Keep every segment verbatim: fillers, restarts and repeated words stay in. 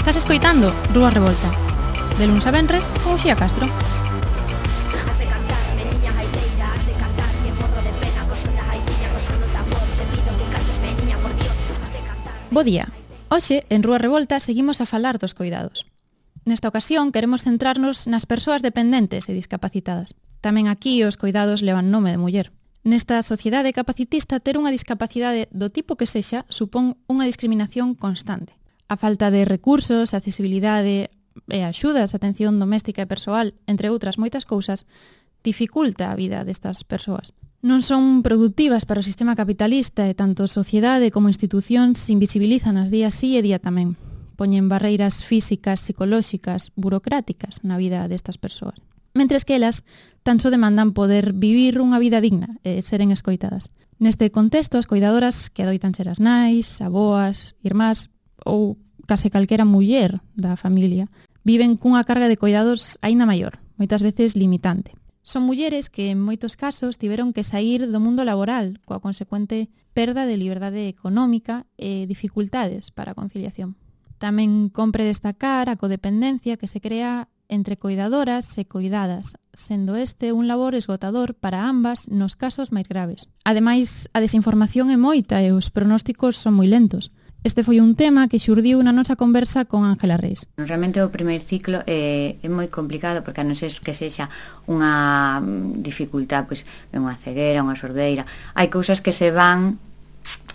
Estás escoitando Rúa Revolta, de luns a venres con Uxía Castro. Bo día. Hoxe, en Rúa Revolta, seguimos a falar dos coidados. Nesta ocasión, queremos centrarnos nas persoas dependentes e discapacitadas. Tamén aquí os coidados levan nome de muller. Nesta sociedade capacitista, ter unha discapacidade do tipo que sexa supón unha discriminación constante. A falta de recursos, accesibilidade e axudas, atención doméstica e persoal, entre outras moitas cousas, dificulta a vida destas persoas. Non son productivas para o sistema capitalista e tanto sociedade como institucións invisibilizan as día sí e día tamén. Poñen barreiras físicas, psicolóxicas, burocráticas na vida destas persoas. Mentres que elas tan só demandan poder vivir unha vida digna e seren escoitadas. Neste contexto, as coidadoras que adoitan ser as nais, aboas, irmás ou case calquera muller da familia viven cunha carga de coidados aínda maior, moitas veces limitante. Son mulleres que en moitos casos tiveron que sair do mundo laboral coa consecuente perda de liberdade económica e dificultades para a conciliación. Tamén compre destacar a codependencia que se crea entre coidadoras e coidadas, sendo este un labor esgotador para ambas nos casos máis graves. Ademais, a desinformación é moita e os pronósticos son moi lentos. Este foi un tema que xurdiu na nosa conversa con Ángela Reis. Realmente o primeiro ciclo é, é moi complicado porque a non ser que sexa unha dificultad, pois unha ceguera, unha sordeira, hai cousas que se van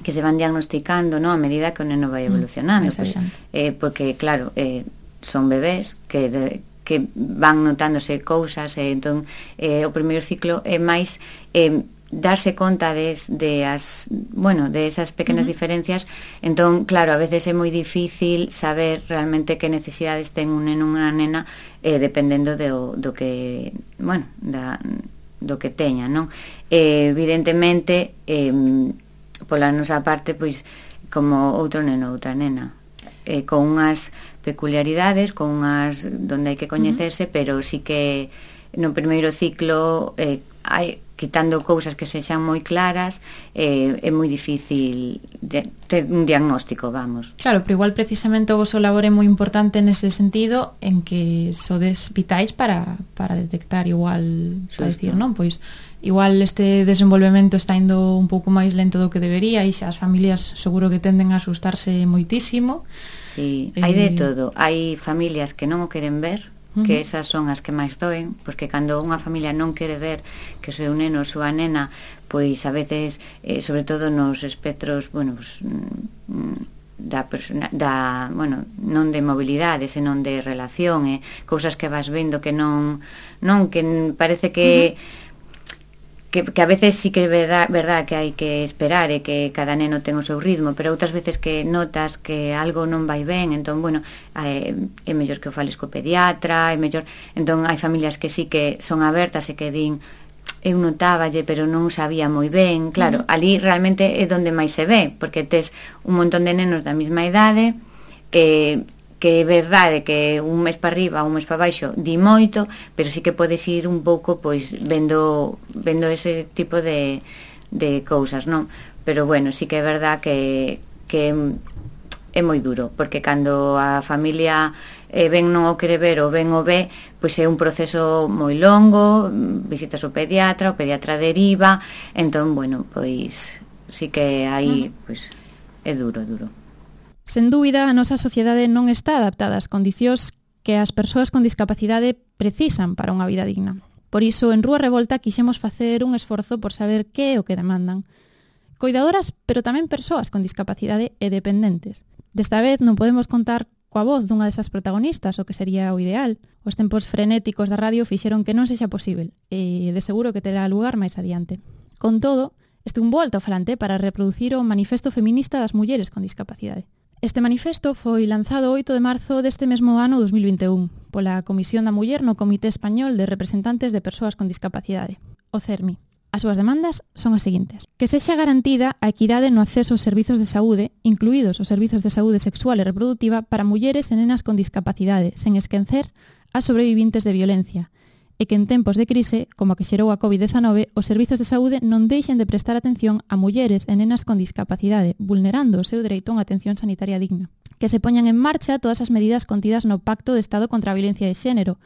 que se van diagnosticando, no, a medida que o neno vai evolucionando, mm, pois, eh, porque claro, eh, son bebés que de, que van notándose cousas e entón eh, o primeiro ciclo é máis eh, darse conta de, de as, bueno, de esas pequenas uh-huh. diferencias. Entón, claro, a veces é moi difícil saber realmente que necesidades ten un neno ou unha nena eh, dependendo do, do que, bueno, da, do que teña, non? Eh, evidentemente eh, pola nosa parte, pois como outro neno ou outra nena, eh, con unhas peculiaridades, con unhas donde hai que coñecerse, uh-huh. pero sí que no primeiro ciclo eh, hai, quitando cousas que sexan moi claras, eh, é moi difícil de, ter un diagnóstico, vamos. Claro, pero igual precisamente o vosso labor é moi importante nese sentido en que sodes vitais para, para detectar igual, para decir, non? Pois igual este desenvolvemento está indo un pouco máis lento do que debería e xa as familias seguro que tenden a asustarse moitísimo. Sí, hai de todo. Hai familias que non o queren ver, que esas son as que máis doen, porque cando unha familia non quere ver que o seu neno ou súa nena, pois a veces, eh, sobre todo nos espectros, bueno, pues, da persona, da, bueno, non de mobilidade, senón de relación, e eh, cousas que vas vendo que non, non que parece que uh-huh. Que, que a veces sí que é verdad, verdad que hai que esperar e que cada neno ten o seu ritmo, pero outras veces que notas que algo non vai ben, entón, bueno, é, é mellor que o fales co pediatra, é mellor, entón hai familias que sí que son abertas e que din eu notáballe, pero non sabía moi ben, claro, uh-huh. ali realmente é donde máis se ve, porque tes un montón de nenos da mesma idade, que que é verdade que un mes para arriba, un mes para baixo di moito, pero sí que podes ir un pouco pois vendo vendo ese tipo de, de cousas, non? Pero bueno, sí que é verdade que, que é moi duro, porque cando a familia eh, ben non o quere ver ou ben o ve, pois é un proceso moi longo, visitas o pediatra, o pediatra deriva, entón, bueno, pois sí que aí, pois, é duro, duro. Sen dúbida, a nosa sociedade non está adaptada ás condicións que as persoas con discapacidade precisan para unha vida digna. Por iso, en Rúa Revolta, quixemos facer un esforzo por saber que é o que demandan. Coidadoras, pero tamén persoas con discapacidade e dependentes. Desta vez non podemos contar coa voz dunha desas protagonistas, o que sería o ideal. Os tempos frenéticos da radio fixeron que non sexa posible, e de seguro que terá lugar máis adiante. Con todo, este un bo altofalante para reproducir o Manifesto Feminista das Mulleres con Discapacidade. Este manifesto foi lanzado o oito de marzo deste mesmo ano dos mil vinte e un pola Comisión da Muller no Comité Español de Representantes de Persoas con Discapacidade, o CERMI. As súas demandas son as seguintes: que sexa garantida a equidade no acceso aos servizos de saúde, incluídos os servizos de saúde sexual e reproductiva para mulleres e nenas con discapacidade, sen esquecer as sobrevivintes de violencia, e que en tempos de crise, como a que xerou a covid dezanove, os servizos de saúde non deixen de prestar atención a mulleres e nenas con discapacidade, vulnerando o seu dereito a unha atención sanitaria digna. Que se poñan en marcha todas as medidas contidas no Pacto de Estado contra a Violencia de Xénero,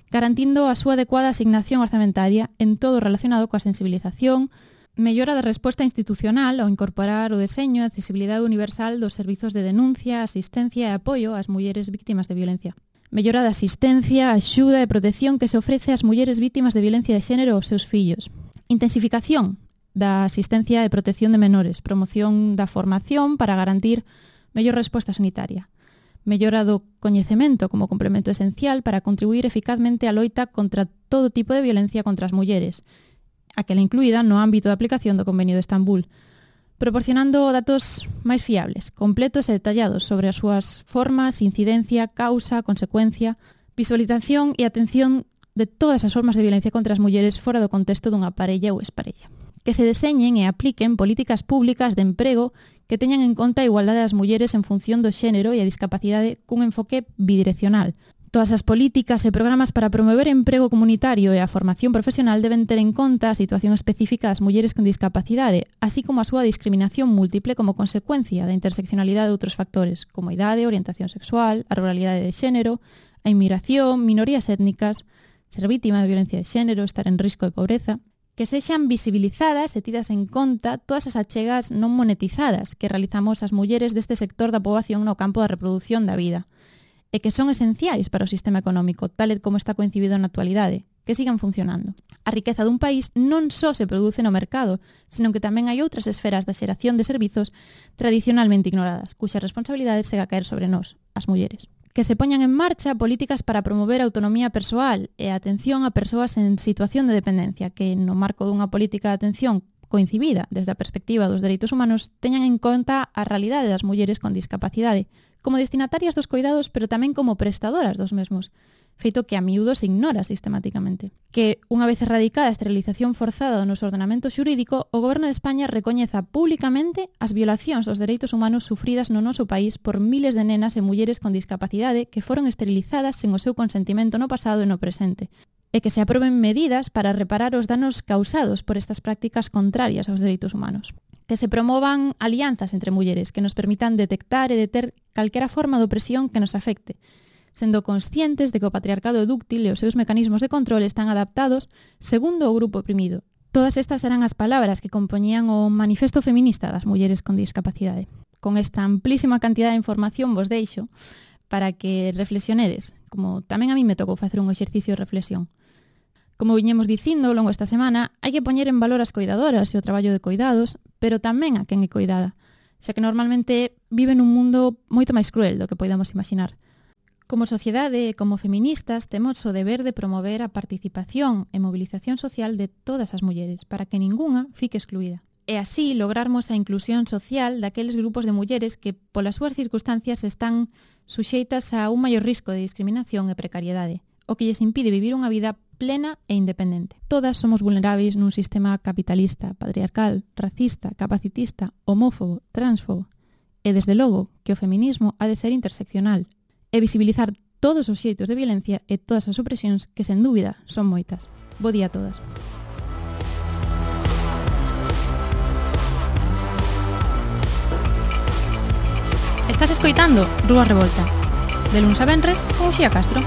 garantindo a súa adecuada asignación orzamentaria en todo relacionado coa sensibilización, mellora da resposta institucional ao incorporar o deseño e accesibilidade universal dos servizos de denuncia, asistencia e apoio ás mulleres víctimas de violencia. Mellora da asistencia, axuda e protección que se ofrece ás mulleres víctimas de violencia de xénero aos seus fillos. Intensificación da asistencia e protección de menores, promoción da formación para garantir mellor resposta sanitaria. Mellora do coñecemento como complemento esencial para contribuir eficazmente á loita contra todo tipo de violencia contra as mulleres, aquela incluída no ámbito de aplicación do Convenio de Estambul, proporcionando datos máis fiables, completos e detallados sobre as súas formas, incidencia, causa, consecuencia, visualización e atención de todas as formas de violencia contra as mulleres fora do contexto dunha parella ou exparella. Que se deseñen e apliquen políticas públicas de emprego que teñan en conta a igualdade das mulleres en función do xénero e a discapacidade cun enfoque bidireccional. Todas as políticas e programas para promover emprego comunitario e a formación profesional deben ter en conta a situación específica das mulleres con discapacidade, así como a súa discriminación múltiple como consecuencia da interseccionalidade de outros factores, como a idade, orientación sexual, a ruralidade de xénero, a inmigración, minorías étnicas, ser vítima de violencia de xénero, estar en risco de pobreza. Que sexan visibilizadas e tidas en conta todas as achegas non monetizadas que realizamos as mulleres deste sector da poboación no campo da reproducción da vida, e que son esenciais para o sistema económico, tal e como está coincidido na actualidade, que sigan funcionando. A riqueza dun país non só se produce no mercado, senón que tamén hai outras esferas da xeración de servizos tradicionalmente ignoradas, cuxa responsabilidade chega a caer sobre nós, as mulleres. Que se poñan en marcha políticas para promover a autonomía persoal e a atención a persoas en situación de dependencia, que no marco dunha política de atención coincibida desde a perspectiva dos dereitos humanos teñan en conta a realidade das mulleres con discapacidade, como destinatarias dos coidados, pero tamén como prestadoras dos mesmos, feito que a miúdo se ignora sistemáticamente. Que, unha vez erradicada a esterilización forzada do noso ordenamento xurídico, o Goberno de España recoñeza públicamente as violacións dos dereitos humanos sufridas no noso país por miles de nenas e mulleres con discapacidade que foron esterilizadas sen o seu consentimento no pasado e no presente, e que se aproben medidas para reparar os danos causados por estas prácticas contrarias aos dereitos humanos. Que se promovan alianzas entre mulleres que nos permitan detectar e deter calquera forma de opresión que nos afecte, sendo conscientes de que o patriarcado é dúctil e os seus mecanismos de control están adaptados segundo o grupo oprimido. Todas estas eran as palabras que compoñían o Manifesto Feminista das Mulleres con Discapacidade. Con esta amplísima cantidad de información vos deixo para que reflexionedes, como tamén a mí me tocou facer un exercicio de reflexión. Como viñemos dicindo ao longo esta semana, hai que poñer en valor as coidadoras e o traballo de coidados, pero tamén a quen é coidada, xa que normalmente vive nun mundo moito máis cruel do que poidamos imaginar. Como sociedade e como feministas temos o deber de promover a participación e mobilización social de todas as mulleres para que ningunha fique excluída. E así lograrmos a inclusión social daqueles grupos de mulleres que, polas súas circunstancias, están suxeitas a un maior risco de discriminación e precariedade, o que lles impide vivir unha vida plena e independente. Todas somos vulneráveis nun sistema capitalista, patriarcal, racista, capacitista, homófobo, transfobo. E desde logo que o feminismo ha de ser interseccional e visibilizar todos os xeitos de violencia e todas as opresións que, sen dúbida, son moitas. Bo día a todas. Estás escoitando Rúa Revolta, de luns a venres con Uxía Castro.